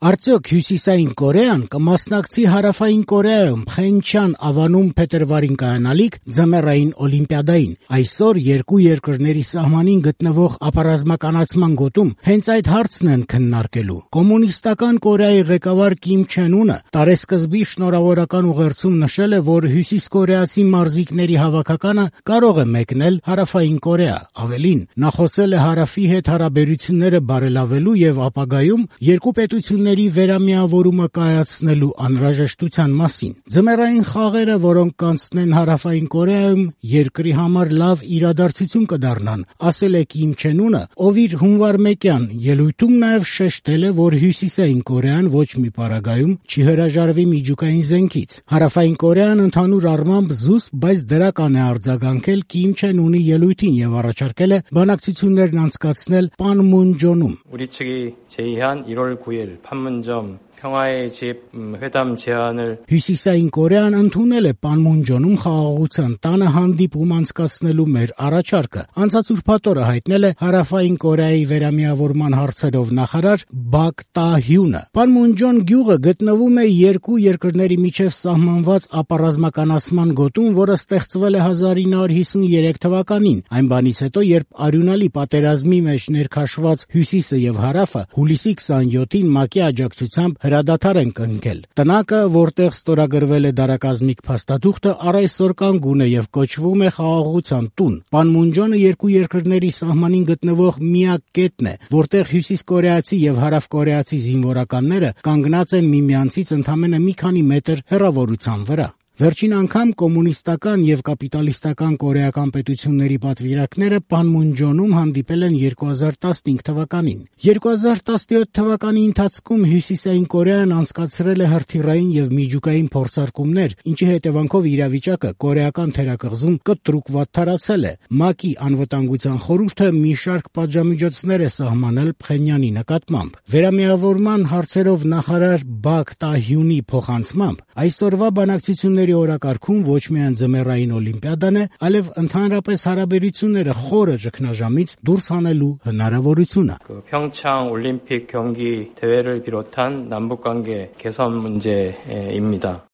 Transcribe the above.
Արդյոք Հյուսիսային Կորեան կմասնակցի Հարավային Կորեայում Փխենչյան ավանում փետրվարին կայանալիք ձմեռային օլիմպիադային։ Այսօր երկու երկրների սահմանին գտնվող ապառազմականացման գոտում հենց այդ հարցն են քննարկելու։ Կոմունիստական Կորեայի ղեկավար Կիմ Չեն Ունը տարեսկզբի շնորհավորական ուղերձում նշել է, որ հյուսիսկորեացի մարզիկների հավաքականը կարող է մեկնել Հարավային Կորեա։ Ավելին, նա խոսել է Հարավի հետ հարաբերությունները բարելավելու եւ ապագայում երկու պետությունների վերամիավորումը կայացնելու անհրաժեշտության մասին։ Ձմեռային խաղերը, որոնք կանցնեն Հարավային Կորեայում, երկրի համար լավ իրադարձություն կդառնան, ասել է Կիմ Չեն Ունը, ով իր հունվար 1-յան ելույթում նաև շեշտել է, որ Հյուսիսային Կորեան ոչ մի պարագայում չի հրաժարվի միջուկային զենքից։ Հարավային Կորեան ընդհանուր առմամբ զուսպ, բայց դրական է արձագանքել Կիմ Չեն Ունի ելույթին եւ առաջարկել է բանակցություններն անցկացնել Պանմունջոնում։ 우리 측이 제의한 1월 9일 판문점 평화의 집 회담 제안을 Հյուսիսային Կորեան ընդունել է Պանմունջոնում խաղաղության տանը հանդիպում անցկացնելու մեր առաջարկը։ Անցած ուրբաթ օրը հայտնել է Հարավային Կորեայի վերամիավորման հարցերով նախարար Բակ Տա-հյունը։ Պանմունջոն գյուղը գտնվում է երկու երկրների միջև սահմանված ապառազմականացման գոտում, որը ստեղծվել է 1953 թվականին, այն բանից հետո, երբ արյունալի պատերազմի մեջ ներքաշված Հյուսիսը եւ Հարավը հուլիսի 27-ին ՄԱԿ-ի աջակցությամբ հրադադար են կնքել։ Տնակը, որտեղ ստորագրվել է դարակազմիկ փաստաթուղթը, առ այսօր կանգուն է եւ կոչվում է Խաղաղության տուն։ Պանմունջոնը երկու երկրների սահմանին գտնվող միակ կետն է, որտեղ հյուսիսկորեացի եւ հարավկորեացի զինվորականները կանգնած են միմյանցից ընդամենը մի քանի մետր հեռավորության վրա։ Վերջին անգամ կոմունիստական եւ կապիտալիստական կորեական պետությունների պատվիրակները Պանմունջոնում հանդիպել են 2015 թվականին։ 2017 թվականի ընթացքում Հյուսիսային Կորեան անցկացրել է հրթիռային եւ միջուկային փորձարկումներ, ինչի հետևանքով իրավիճակը կորեական թերակղզում կտրուկ վատթարացել է։ ՄԱԿ-ի անվտանգության խորհուրդը մի շարք պատժամիջոցներ է սահմանել Փխենյանի նկատմամբ։ Վերամիավորման հարցերով նախարար Բակ Տա-հյունի փոխանցմամբ այսօրվա բանակցությունների օրակարգում ոչ միայն ձմեռային օլիմպիադան է, այլև ընդհանրապես հարաբերությունները խորը ճգնաժամից դուրս հանելու հնարավորությունը։ 평창 올림픽 경기 대회를 비롯한 남북관계 개선 문제입니다.